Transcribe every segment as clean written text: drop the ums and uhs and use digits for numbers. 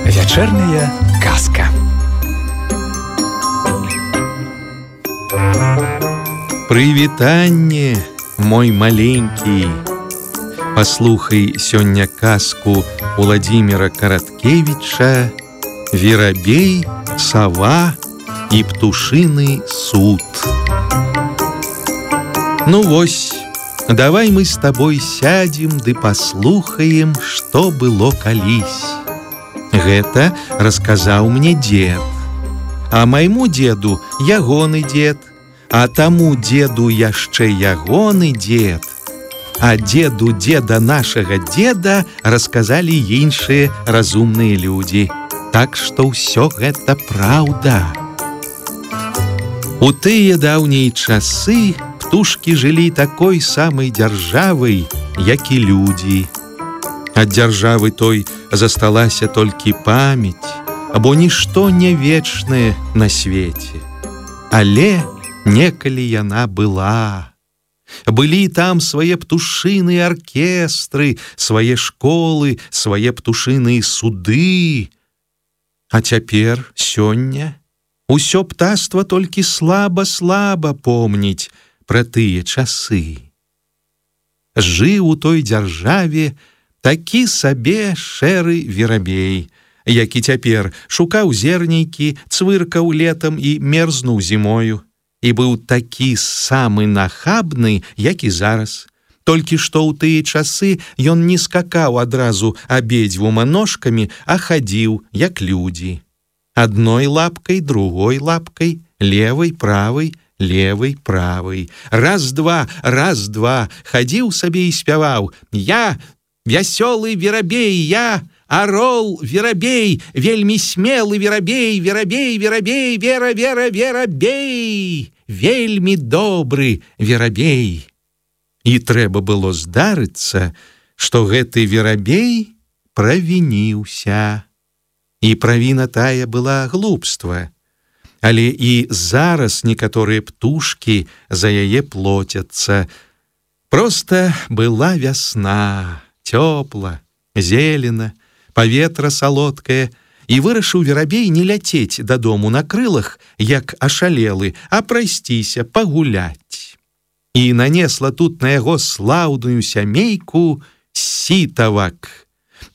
Вечерняя казка. Прывітанне, мой маленький. Паслухай сёння казку Владимира Караткевича «Верабей, сова и птушиный суд». Ну вось, давай мы с тобой сядем ды паслухаем, што было калісь. Гэта расказаў мне дед. А майму деду ягоны дед, а таму деду яшчэ ягоны дед. А деду деда нашага деда расказалі іншыя разумныя людзі. Так што ўсё гэта праўда. У тыя даўнія часы птушкі жылі такой самай дзяржавай, як і людзі. Ад дзяржавы той засталася толькі памяць, бо нішто не вечнае на свеце. Але некалі яна была. Былі там свае птушыныя аркестры, свае школы, свае птушыныя суды. А цяпер, сёння, усё птаства толькі слаба-слаба помніць пра тыя часы. Жыў у той дзяржаве такі сабе шэры верабей, які цяпер шукаў зернейкі, цвыркаў летам і мерзнуў зімою. І быў такі самы нахабны, як і зараз. Толькі што ў тыя часы ён не скакаў адразу абедзвюма ножкамі, а хадзіў, як людзі. Адной лапкай, другой лапкай, левай, правай, левай, правай. Раз-два, раз-два, хадзіў сабе і спяваў: «Я вясёлы верабей, я орол верабей, вельмі смелы верабей, верабей, верабей, вера, вера, верабей, вельмі добры верабей». І трэба было здарыцца, што гэты верабей правініўся. І правіна тая была глупства. Але і зараз некаторыя птушкі за яе плоцяцца. Проста была вясна, цёпла, зелена, паветра салодкае, і вырашыў верабей не ляцець дадому на крылах, як ашалелы, а прайсціся, пагуляць. І нанесла тут на яго слаўную сямейку сітавак,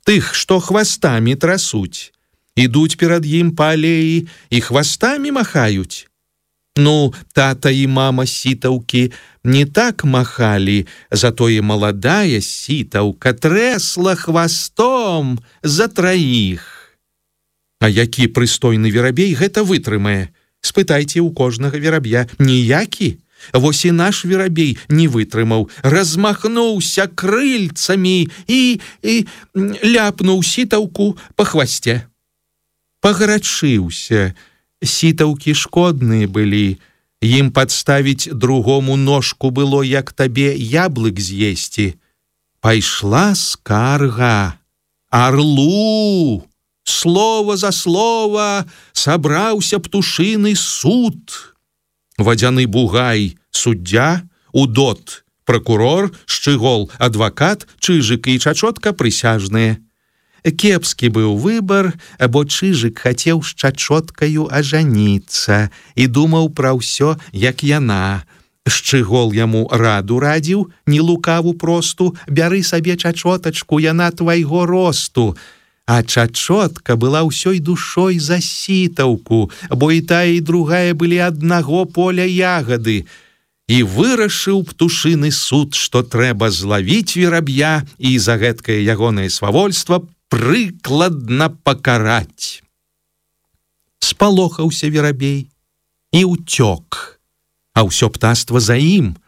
тых, што хвастамі трасуць, ідуць перад ім па алеі і хвастамі махаюць. Ну, тата і мама сітаўкі не так махалі, затое маладая сітаўка трэсла хвастом за траіх. А які прыстойны верабей гэта вытрымае? Спытайце ў кожнага вераб'я. Ніякі. Вось і наш верабей не вытрымаў, размахнуўся крыльцамі і ляпнуў сітаўку па хвасце. Пагарачыўся. Сітаўкі шкодныя былі. Ім падставіць другому ножку было, як табе яблык з'есці. Пайшла скарга. Арлу! Слова за слова сабраўся птушыны суд. Вадзяны бугай — суддзя, удот — пракурор, шчыгол — адвакат, чыжык і чачотка — прысяжныя. Кепскі быў выбар, бо чыжык хацеў з чачоткаю ажаніцца і думаў пра ўсё, як яна. Шчыгол яму раду радзіў, не лукаву просту: бяры сабе чачотачку, яна твайго росту. А чачотка была ўсёй душой за сітаўку, бо і тая, і другая былі аднаго поля ягады. І вырашыў птушыны суд, што трэба злавіць вераб'я і за гэткае ягонае свавольства прыкладна пакараць. Спалохаўся верабей і ўцёк, а ўсё птаства за ім,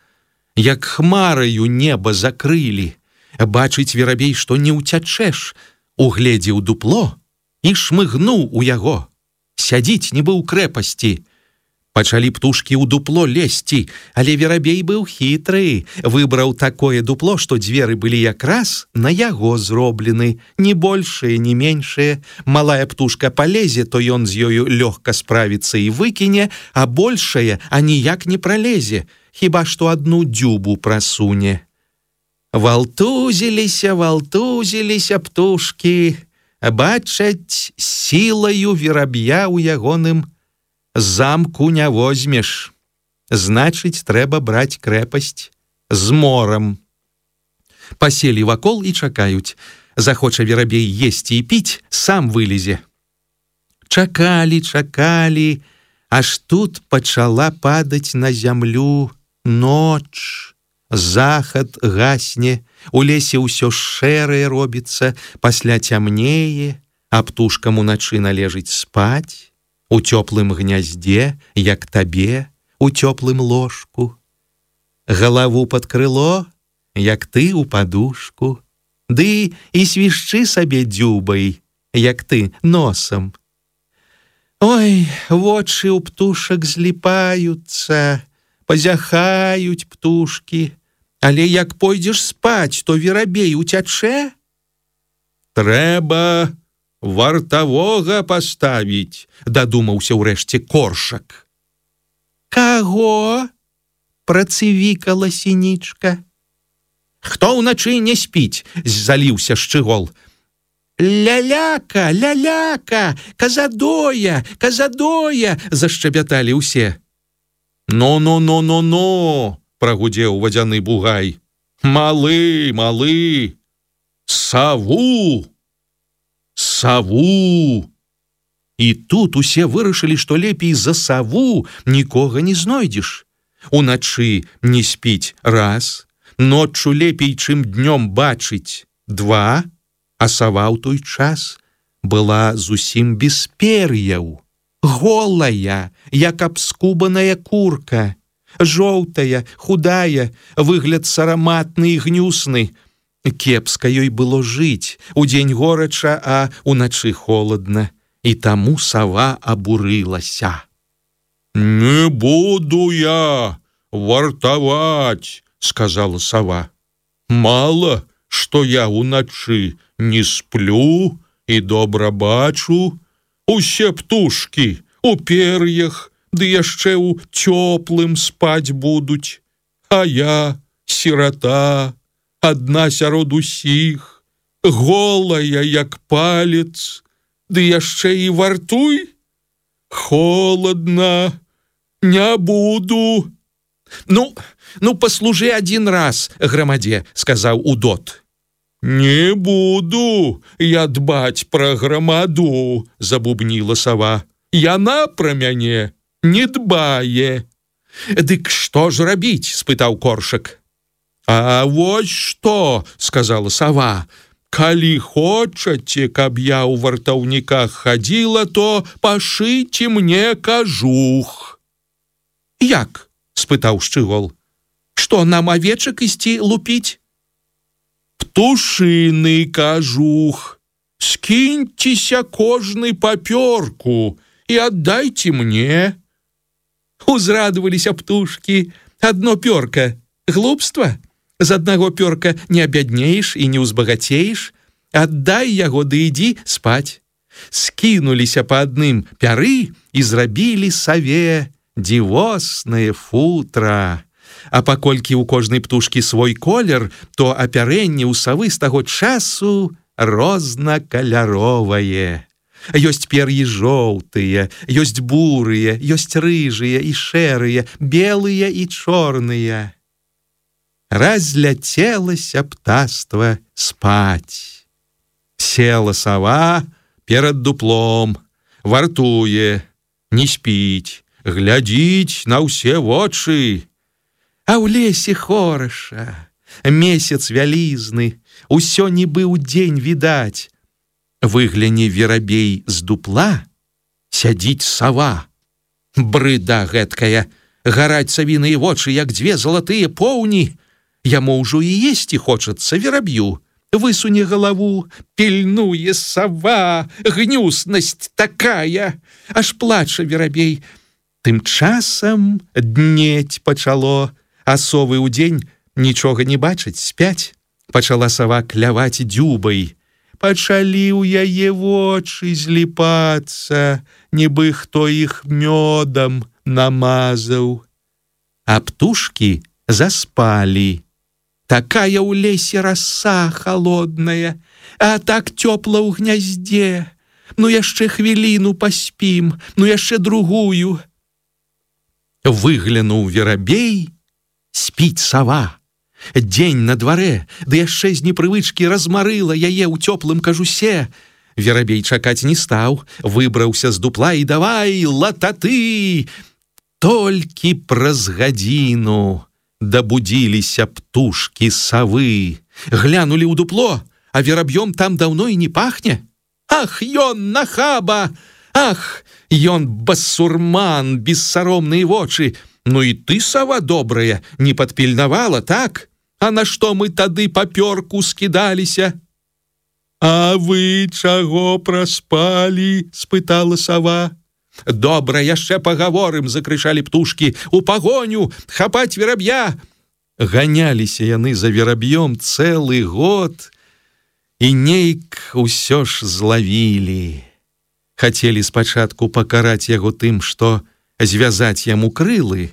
як хмараю неба закрылі. Бачыць верабей, што не ўцячэш, угледзеў дупло і шмыгнуў у яго. Сядзіць нібы ў крэпасці. Пачалі птушкі ў дупло лезці, але верабей быў хітры, выбраў такое дупло, што дзверы былі якраз на яго зроблены, ні большыя, ні меншыя. Малая птушка палезе, то ён з ёю лёгка справіцца і выкіне, а большая аніяк не пралезе, хіба што адну дзюбу прасуне. Валтузіліся птушкі, бачаць, сілаю вераб'я ў ягоным замку не возьмеш. Значыць, трэба браць крэпасць з морам. Паселі вакол і чакаюць. Захоча верабей есці і піць, сам вылезе. Чакалі, аж тут пачала падаць на зямлю ноч. Захад гасне, у лесе ўсё шэрае робіцца, пасля цямнее, а птушкам уначы належыць спаць. У цёплым гняздзе, як табе, у цёплым ложку. Галаву пад крыло, як ты ў падушку. Ды і свішчы сабе дзюбай, як ты носам. Ой, вочы ў птушак зліпаюцца, пазяхаюць птушкі. Але як пойдзеш спаць, то верабей уцячэ? Трэба вартавога паставіць, дадумаўся ўрэшце Коршак. Каго? Працывікала Сінічка. Хто ўначы не спіць? Заліўся Шчыгол. Ляляка, казадоя, зашчабяталі ўсе. Но, прагудзеў вадзяны бугай. Малы, саву. І тут усе вырашылі, што лепей за саву нікога не знойдзеш. Уначы не спіць раз, ноччу лепей, чым днём бачыць два, а сава ў той час была зусім без пер'яў, голая, як абскубаная курка, жоўтая, худая, выгляд сараматны і гнюсны. Кепска ёй было жыць, удзень горача, а уначы холадна, і таму сава абурылася. «Не буду я вартаваць», — сказала сава. «Мала, што я уначы не сплю і добра бачу. Усе птушкі у пер'ях, ды яшчэ ў цёплым спаць будуць, а я сірата, адна сярод усіх, голая, як палец, ды яшчэ і вартуй? Холадна, не буду». Ну, паслужы адзін раз, грамадзе, сказаў Удот. «Не буду я дбаць пра грамаду», забубніла сава. «Яна пра мяне не дбае». «Дык што ж рабіць?» — спытаў Коршак. «А вось што», — сказала сава, «калі хочаце, каб я ў вартаўніках хадзіла, то пашыце мне кажух». «Як?» — спытаў Шчыгол. «Што, нам авечак ісці лупіць?» «Птушыны кажух. Скіньцеся кожны папёрку і аддайце мне». Узрадаваліся птушкі. Адно пёрка — глупства? З аднаго пёрка не абяднееш і не ўзбагацееш. Аддай яго, ды ідзі спаць. Скінуліся па адным пяры і зрабілі саве дзівоснае футра. А паколькі ў кожнай птушкі свой колер, то апярэнне ў савы з таго часу рознакаляровае. Ёсць пер'і жоўтыя, ёсць бурыя, ёсць рыжыя і шэрыя, белыя і чорныя. Разляцелася птаства спаць. Села сава перад дуплом, вартуе, не спіць, глядзіць на ўсе вочы. А ў лесе хораша, месяц вялізны, усё нібы ўдзень відаць. Выгляне верабей з дупла, сядзіць сава. Брыда гэткая, гараць савіныя вочы, як дзве залатыя поўні. Яму ўжо і есці хочацца вераб'ю. Высуне галаву, пільнуе сава, гнюснасць такая. Аж плача верабей. Тым часам днець пачало, а совы ўдзень нічога не бачаць, спяць. Пачала сава кляваць дзюбай. Пачалі ў яе вочы зліпацца, нібы хто іх мёдам намазаў. А птушкі заспалі. Такая ў лесе раса холодная, а так цёпла ў гняздзе. Ну яшчэ хвіліну паспім, ну яшчэ другую. Выглянуў верабей, спіць сава. Дзень на дварэ, ды яшчэ з непрывычкі размарыла яе ў цёплым кажусе. Верабей чакаць не стаў, выбраўся з дупла і давай лататы. Толькі праз гадзіну дабудзіліся птушкі савы. Глянулі ў дупло, а вераб'ём там даўно і не пахне. Ах, ён нахаба! Ах, ён басурман, бессаромныя вочы. Ну і ты, сава добрая, не падпільнавала, так? А на што мы тады папёрку скідаліся? А вы чаго праспалі? Спытала сава. Добра, яшчэ пагаворым, закрычалі птушкі. У пагоню, хапаць вераб'я. Ганяліся яны за вераб'ём цэлы год і нейк усё ж злавілі. Хацелі спачатку пакараць яго тым, што звязаць яму крылы,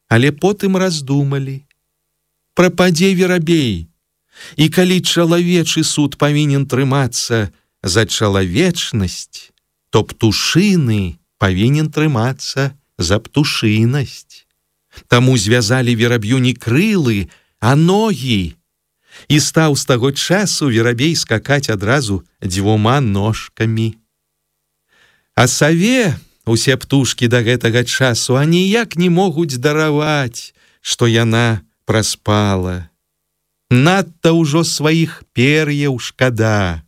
але потым раздумалі. Прападзе верабей, і калі чалавечы суд павінен трымацца за чалавечнасць, то птушыны павінен трымацца за птушынасць. Таму звязалі вераб'ю не крылы, а ногі. І стаў з таго часу верабей скакаць адразу дзвюма ножкамі. А саве усе птушкі да гэтага часу аніяк не могуць дараваць, што яна праспала. Надта ўжо сваіх пер'яў шкада.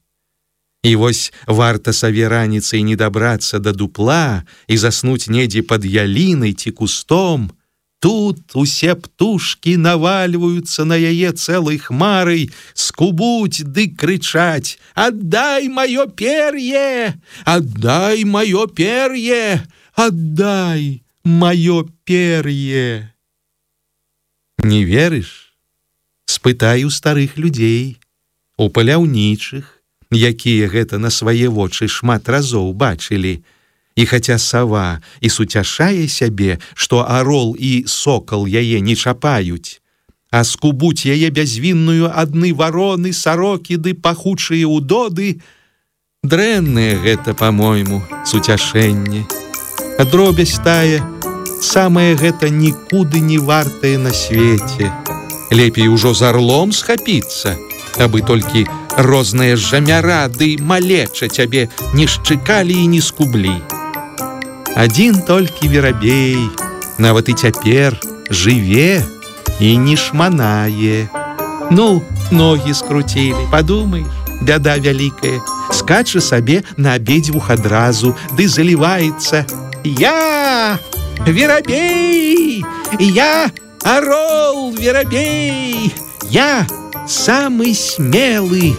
І вось варта саве раніцай не дабрацца да дупла і заснуць недзе пад ялінай ці кустом, тут усе птушкі навальваюцца на яе цэлай хмарай, скубуць ды крычаць: «Аддай маё пер'е! Аддай маё пер'е! Аддай маё пер'е!» Не верыш? Спытай у старых людзей, у паляўнічых, якія гэта на свае вочы шмат разоў бачылі. І хаця сава і суцяшае сябе, што арол і сокал яе не чапаюць, а скубуць яе бязвінную адны вароны, сарокі ды пахучыя ўдоды, дрэннае гэта, па-мойму, суцяшэнне. Дробязь тая, самае гэта нікуды не вартае на свеце. Лепей ужо з арлом схапіцца, абы толькі розныя жамяра ды малеча цябе не шчыкалі і не скублі. Адзін толькі верабей, нават і цяпер жыве і не шманае. Ну, ногі скруцілі, падумаеш, бяда вялікая. Скача сабе на абедзвюх адразу, ды заліваецца: «Я верабей! Я орол верабей! Я самы смелы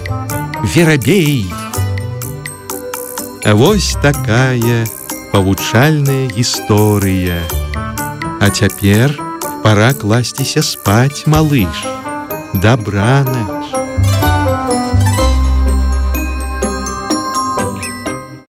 верабей!» Вось такая павучальная гісторыя. А цяпер пора класціся спаць, малыш. Дабранач.